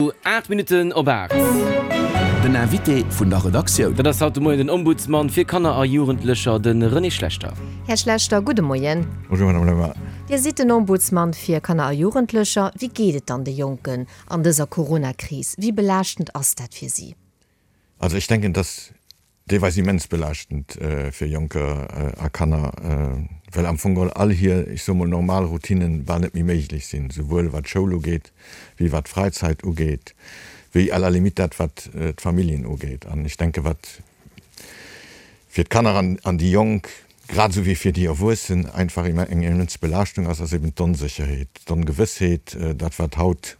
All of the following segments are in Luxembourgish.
8 Minutten op 8. Den Invité vun der Redaktioun. Dat ass haut de Moien den Ombudsman fir Kanner a Jugendlecher, de René Schlechter. Här Schlechter, gudde Moien. Bonjour Madame Lemmer. Dir sidd den Ombudsman fir Kanner a Jugendlecher. Wéi geet et dann de Jonken an dëser Coronakris? Wéi belaaschtend ass dat fir si? Also ech denken, dass deelweis immens belaaschtend fir Jonker a Kanner, well am Fong geholl all hir, ech soe mol, normal Routinnen bal net méi méiglech sinn, souwuel wat d'Schoul ugeet, wéi wat d'Fräizeit ugeet, wéi à la limite dat wat d'Familljen ugeet. An ech denke wat fir d'Kanner an déi Jonk, grad esou wéi fir déi Erwuessen einfach eng immens Belaaschtung ass, ass eben d'Onsécherheet, d'Ongewëssheet, dat wat haut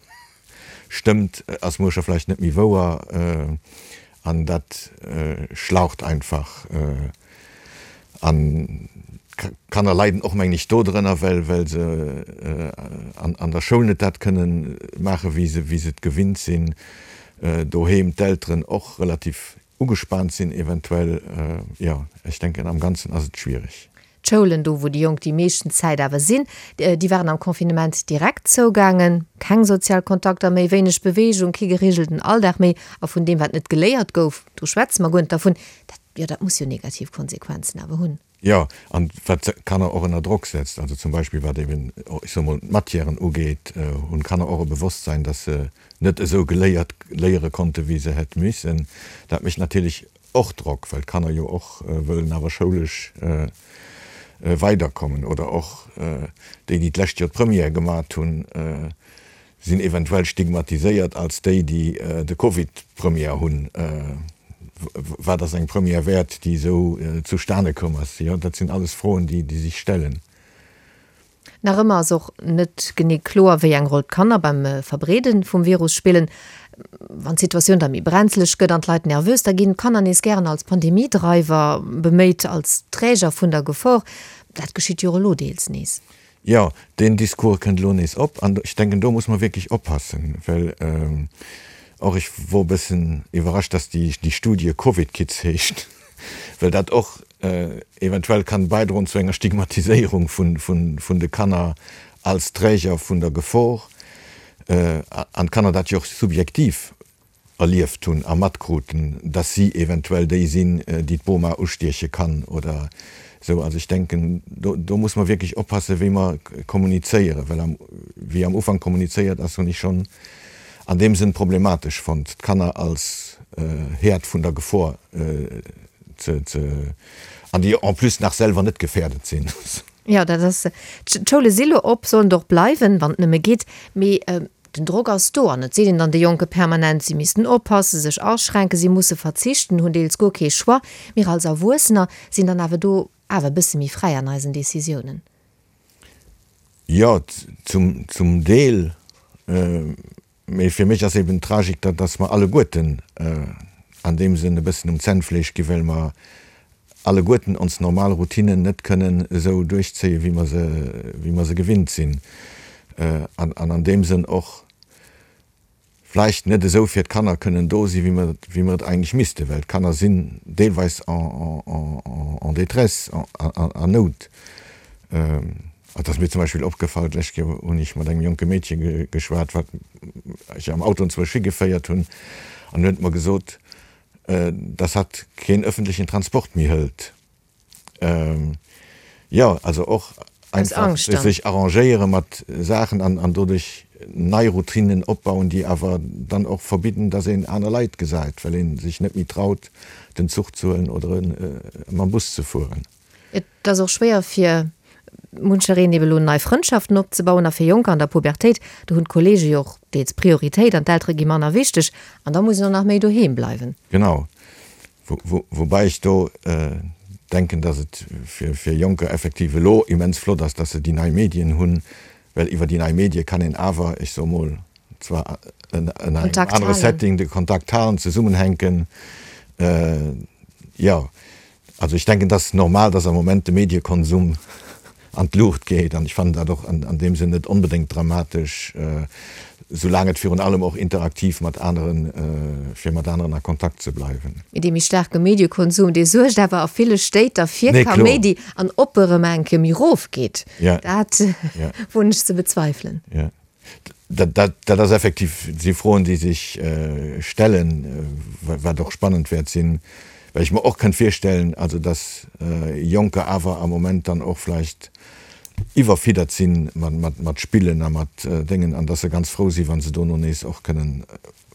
stëmmt, ass muer scho vläicht net méi wouer. An dat schlaucht einfach. An d'Kanner leiden och, mengen ech, dodrënner, well well se an der Schoul net dat kënnen maachen, wéi se wéi se et gewinnt sinn. Doheem d'Elteren och relativ ugespaant sinn eventuell. Jo, ech denken, am Ganzen ass et schwierig. D'Schoulen, do wou déi Jonk déi meeschten Zäit awer sinn, déi waren am Confinement direkt zougaangen. Keng sozial Kontakter méi, wéineg Beweegung, kee gereegelten Alldag méi. A vun deem, wat net geléiert gouf, do schwätze mer guer net dervun. Dat, jo, dat muss jo negativ Konsequenzen awer hunn. Jo, an wat d'Kanner och ënner Drock setzt, also zum Beispill wat eben, ech soe mol, d'Matièren ugeet, hunn d'Kanner och e Bewosstsein, dass se net esou geléiert, léiere konnte wéi se hätt missen. Dat mécht natierlech Och Drock, well d'Kanner jo och wëllen awer schoulesch weiderkommen. Oder och déi, déi d'lescht Joer d'Première gemat hunn, sinn eventuell stigmatiséiert als déi, déi de Covid-Première hunn. Wat ass eng Première wäert, déi esou zustane komm ass? Jo, dat sinn alles Froen, déi sech stellen. Nach ëmmer ass och net genee kloer, wéi eng Roll d'Kanner beim Verbreede vum Virus spillen. Wann d'Situatioun da méi brenzeleg gëtt an d'Leit nervös, da ginn d'Kanner nees gären als Pandemie-Dreiwer beméit, als Träger vun der Gefor. Dat geschitt jo och elo deels nees. Jo, deen Discours kënnt elo nees op an ech denken, do muss mer wierklech oppassen, well och ech wor e bëssen iwwerrascht, dass déi Studie Covid Kids heescht. well dat och eventuell kann bäidroen zu enger Stigmatiséierung vun de Kanner als Träger vun der Gefor, an d'Kanner dat jo och subjektiv erlieft hunn a matkruten, dass si eventuell déi sinn, déi d'Boma ustieche kann oder esou. Also ech denken, do muss mer wierklech oppassen, wéi mer kommunizéieren, well wéi am Ufank kommunizéiert ass, hunn ech schonn an deem Sënn problematesch fonnt, d'Kanner als Häerd vun der Gefor ze, ze, an déi en plus nach selwer net gefährdet sinn. Jo, dat ass, d'Schoule si lo op, sollen et och bleiwen, wann et nëmme geet, mee den Drock ass do an et seet een dann de Jonke permanent, si missten oppassen, sech aschränken, si musse verzichten, hunn deels guer kee Choix. Mir als Erwuessener sinn dann awer do awer e bësse méi fräi an eisen Decisiounen. Jo, zum Deel. Mee fir mech ass eben d'Tragik, datt datt mer alleguerten an deem Sënn e bëssen um Zännfleesch gi well mer alleguerten ons normal Routinen net kënnen esou duerchzéien, wéi mer se, wéi mer se gewinnt sinn. An an deem Sënn och vläicht net esou fir d'Kanner kënnen do sinn, wéi mer, wéi mer et eigentlech missten, well d'Kanner sinn deelweis en détresse, an Nout. Et ass mir zum Beispill opgefall, d'lescht Kéier hunn ech mat engem jonke Meedche geschwat, wat ech am Auto enzwousch higeféiert hunn, an huet mer gesot, dass hatt keen öffentlichen Transport méi hëlt. Jo, also och einfach sech arrangéiere mat Saachen an doduerch nei Routinen opbauen, déi awer dann och verbidden, dass een aner Leit gesäit, well ee sech net méi traut, den Zuch ze huelen oder mam Bus ze fueren. Et ass och schwéier fir munchereen eben elo nei Frëndschaften opzebauen a fir Jonker an der Pubertéit, do hunn d'Kollege jo och deels Prioritéit an d'Eltere gi manner wichteg an da muss een och nach méi doheem bleiwen. Genau, Woubäi ech do denken, datt et fir Jonker effektiv elo immens flott ass, datt se déi nei Medien hunn, well iwwer déi nei Medie kann een awer, ech soe mol, zwar ënner engem anere Setting de Kontakt halen, zesummenhänken. Jo, Also ech denken, et ass normal, dass am Moment de Mediekonsum an d'Luucht geet an ech fannen dat och an deem Sënn net onbedéngt dramatesch, soulaang et virun allem och interaktiv mat aneren, fir mat aneren a Kontakt ze bleiwen. Mee dee méi staarke Mediekonsum, dee suergt awer a ville Stéit da fir Kaméidi an ob e rëm eng Kéier méi erofgeet, dat woen ech ze bezweifelen. Dat ass effektiv, si Froen, déi sech stellen, wat och spannend wäert sinn, well ech mer och kënnt virstellen, also datt Jonker awer am Moment dann och vläicht iwwerfiddert si mat Spillen a mat Déngen an datt se ganz frou si wa se dono nees och kënnen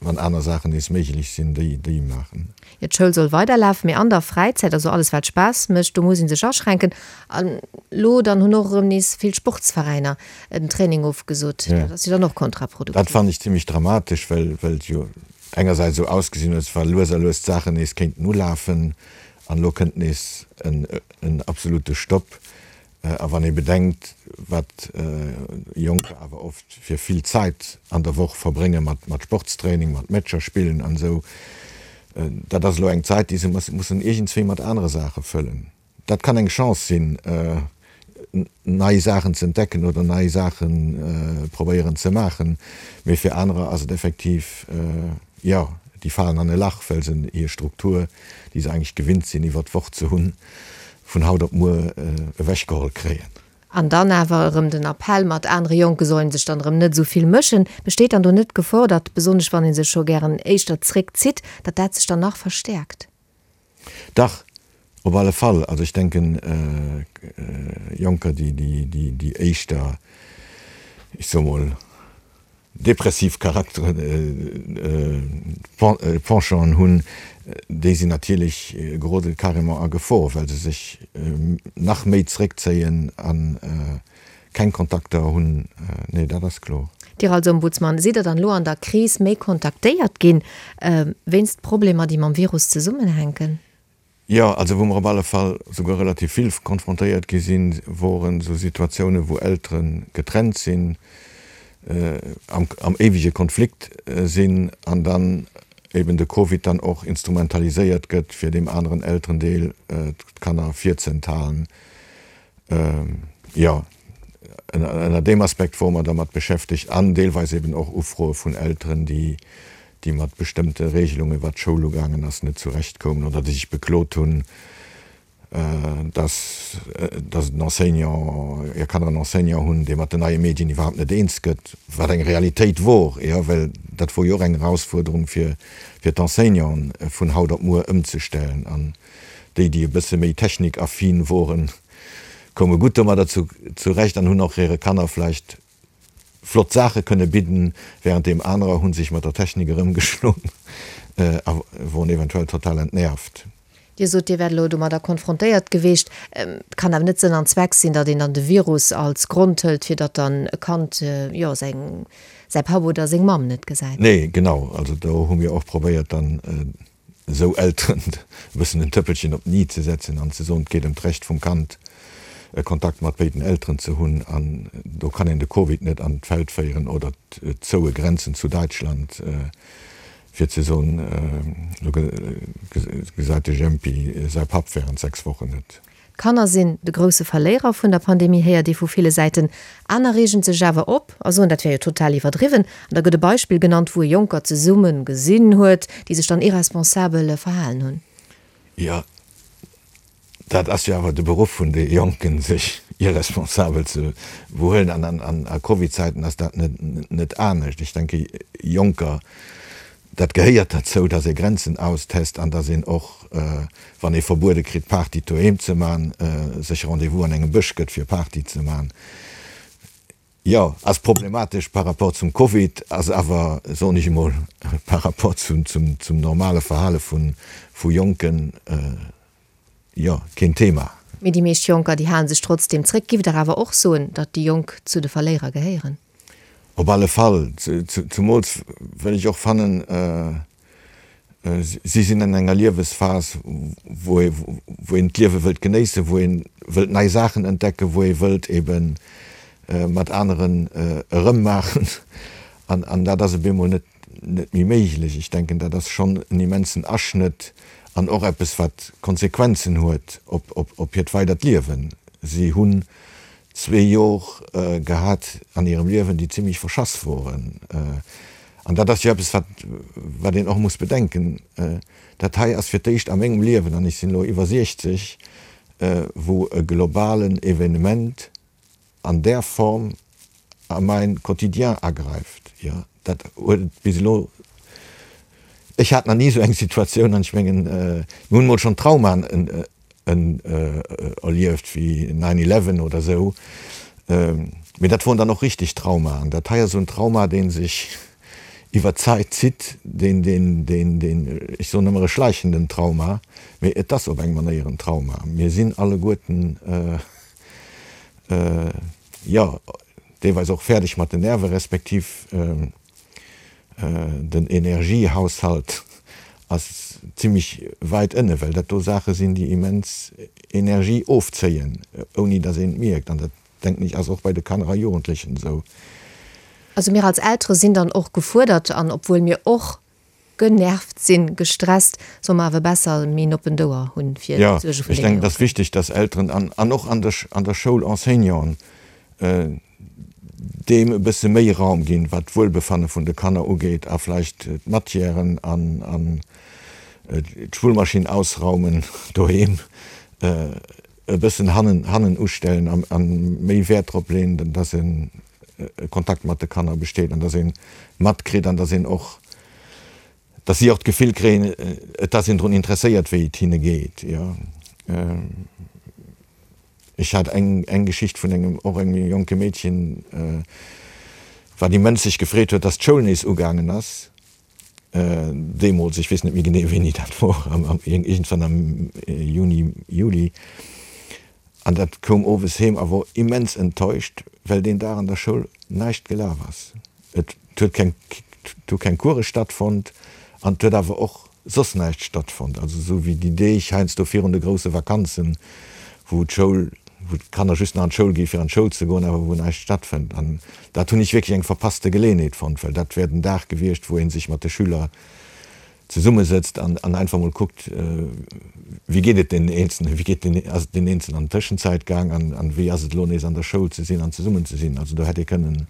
wann aner Saachen nees méiglech sinn, déi déi maachen. Jo, d'Schoul soll weiderlafen, mee an der Fräizäit, also alles wat Spaass mécht, do muss ee sech aschränken. An elo dann hunn och erëm nees vill Sportsveräiner den Training ofgesot. Dat ass jo dann och kontraproduktiv. Dat fannen ech zimmlech dramatesch, well well et jo engersäits esou ausgesinn huet, wa lues a lues d'Saachen nees kéinten ulafen, an elo kënnt nees en en absolute Stopp. A wann ee bedenkt, wat Jonker awer oft fir vill Zait an der Woch verbrénge mat Sportstraining, mat Matcher spillen an esou, dat ass elo eng Zait, déi se mussen iergendswéi mat anere Saache fëllen. Dat kann eng Chance sinn, nei Saachen ze entdecken oder nei Saache probéieren ze maachen, mee fir anerer ass et effektiv, jo, déi falen an e Lach, well se hir Struktur, déi se eigentlech gewinnt sinn iwwert d'Woch ze hunn, vun haut op muer ewechgeholl kréien. An dann awer erëm den Appell, mat anere Jonke soll een sech dann erëm net esou vill mëschen. Besteet dann do net d'Gefor, datt, besonnesch wann ee sech scho gären éischter zréckzitt, datt dat sech dann nach verstäerkt? Dach, op alle Fall. Also ech denken, Jonker, déi éischter, ech soe mol, depressiv Charakteren, Penchant'en hunn, déi sinn natierlech gerode carrément a Gefor, well se sech nach méi zréckzéien a keng Kontakter hunn. Nee, dat ass kloer. Dir als Ombudsman, sidd Der dann elo an der Kris méi kontaktéiert ginn, wéinst Problemer, déi mam Virus zesummenhänken? Jo, also wou mer op alle Fall souguer relativ vill konfrontéiert gi sinn, woren esou Situatiounen, wou Eltere getrennt sinn, am am éiwege Konflikt sinn an dann eben de Covid dann och instrumentaliséiert gëtt, fir deem aneren Elterendeel d'Kanner virzenthalen. Jo, ënner deem Aspekt wore mer dermat beschäftegt an deelweis eben och Ufroe vun Elteren, déi déi mat bestëmmte Regelungen, wat d'Schoul ugaangen ass, net zurecht koumen oder déi sech beklot hunn, dass dass en Enseignant, hir Kanner en Enseignant hunn, dee mat den neie Medien iwwerhaapt net eens gëtt, wat eng Realitéit wor, jo, well dat wor jo och eng Erausfuerderung fir fir d'Enseignanten vun haut op muer ëmzestellen. An déi, déi e bësse méi technikaffin woren, koume gutt domadder zurecht an hunn och hire Kanner vläicht flott Saache kënne bidden, wärenddeem anerer hu sech mat der Technik erëmgeschloen a woren eventuell total entnervt. Dir sot, Dir wäert elo domadder konfrontéiert geweecht. Et kann awer net Sënn an Zweck sinn, datt een dann de Virus als Grond hëlt, fir datt dann e Kand, jo, säi Papp oder seng Mamm net gesäit. Nee, genau. Also do hu mir och probéiert dann esou Elteren e bëssen en Tëppelchen op den i ze setzen an ze soen, et geet ëm d'Recht vum Kand, e Kontakt mat béiden Elteren ze hunn an do kann een de Covid net an d'Feld féieren oder d'zoue Grenzen zu Däitschland, fir ze soen, elo gesäit de Jempi säi Papp während 6 Wochen net. D'Kanner sinn de grousse Verléierer vun der Pandemie, héiert ee vu ville Säiten. Aner reegen sech awer op a soen, dat wär jo total iwwerdriwwen. An da gëtt e Beispill genannt, wou e Jonker zesumme gesinn huet, déi sech dann irresponsabel verhalen hunn. Jo, dat ass jo awer de Beruff vun de Jonken, sech irresponsabel ze behuelen. An a Covid-Zäiten ass dat net anescht. Ech denke Jonker Dat gehéiert derzou, dass ee Grenzen austest an dass een och, wann ee verbuede kritt, Party doheem ze man, sech Rendez-vous an engem Bësch gëtt, fir Party ze man. Jo, ass problematesch par rapport zum Covid, ass awer, soen ech emol, par rapport zum normale Verhale vu Jonken, jo, keen Thema. Mee déi meescht Jonker, déi halen sech trotzdeem zréck. Giff Der awer och soen, datt déi Jonk zu de Verléierer gehéieren? Op alle Fall, zumools well ech och fannen, si sinn an enger Liewesphas, wou een d'Liewe wëllt genéissen, wou ee wëllt nei Saachen entdecken, wou ee wëllt ebe mat aneren erëmmaachen. An dat ass op eemol net net méi méiglech. Ech denken, dat ass schonn en immensen Aschnëtt an och eppes, wat Konsequenzen huet op hiert weidert Liewen. Si hunn zwee Jor gehat an hirem Liewen, déi zimlech verschass woren. An dat ass jo eppes, wat, wat een och muss bedenken. Dat hei ass fir d'éischt a mengem Liewen, an ech sinn elo iwwer 60, wou e globalen Evenement an där Form. a mäin Quotidien agräift. Jo, dat huet et bis elo, ech hat nach ni esou eng Situatioun an ech mengen, mir hunn emol schonn Traumaen erlieft wéi Nine Eleven oder esou, mee dat woren dann och richteg Traumaen. Dat hei ass esou en Trauma, dee sech iwwer d'Zäit zitt, deen, deen, deen, deen, ech soen ëmmer e schleichenden Trauma, mee et ass op eng Manéier en Trauma. Mir sinn alleguerten, jo, deelweis och fäerdeg mat den Nerve respektiv den Energiehaushalt ass zimmlech wäit ënne, well dat do Saache sinn, déi immens Energie ofzéien, ouni datt een et mierkt. An dat, denken ech, ass och bei de Kanner a Jugendlechen esou. Also mir als Eltere sinn dann och gefuerdert an obwuel mir och genervt sinn, gestresst, solle mer awer besser méi en oppent Ouer hunn fir Jo, d'Suerge vun ech deene denken, et ass Jonken. wichteg, datt Elteren an, an och an der, an der Schoul Enseignanten deem e bësse méi Raum ginn, wat d'Wuelbefanne vun de Kanner ugeet a vläicht d'Matièren an, an d'Spullmaschinn ausraumen doheem e bëssen hannen, hannen ustellen an, an méi Wäert drop leeën, datt e Kontakt mat de Kanner besteet an datt ee matkritt an datt een och, datt si och d'Gefill kréien, et ass een drun interesséiert, wéi et hinne geet, jo. Ech hat eng, eng Geschicht vun engem, och engem jonke Meedchen, wat immens sech gefreet huet, datt d'Schoul nees ugaangen ass, deemools, ech weess net méi genee, wéini dat wor, iergendwann am Juni, Juli. An dat koum owes heem a wor immens enttäuscht, well deen Dag an der Schoul näischt gelaf ass. Et huet keng, et hu keng Course stattfonnt an et huet awer och soss näischt stattfonnt. Also esou wéi déi Deeg heiansdo virun de grousse Vakanzen, wou d'Schoul, wou d'Kanner just nach an d'Schoul gi fir an d'Schoul ze goen, awer wou näischt stattfënnt. An dat hunn ech wierklech eng verpasste Geleeënheet fonnt, well dat wär den Dag gewiescht, wou ee sech mat de Schüler zesummesëtzt an an einfach mol kuckt, wéi geet et deenen Eenzelnen, wéi geet den, ass et deenen Eenzelnen an der Tëschenzäit gaang an an wéi ass et elo nees an der Schoul ze sinn an zesummen ze sinn. Also do hätt ee kënnen,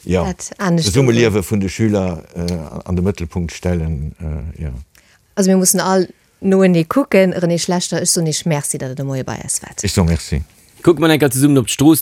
jo, d'Zesummeliewe vun de Schüler an de Mëttelpunkt stellen, jo. Also mir mussen all noenee kucken. René Schlechter, ech soen Iech Merci, datt Der de Moie bei eis waart. Ech soe Merci. Kucke mer enker zesummen op d'Strooss.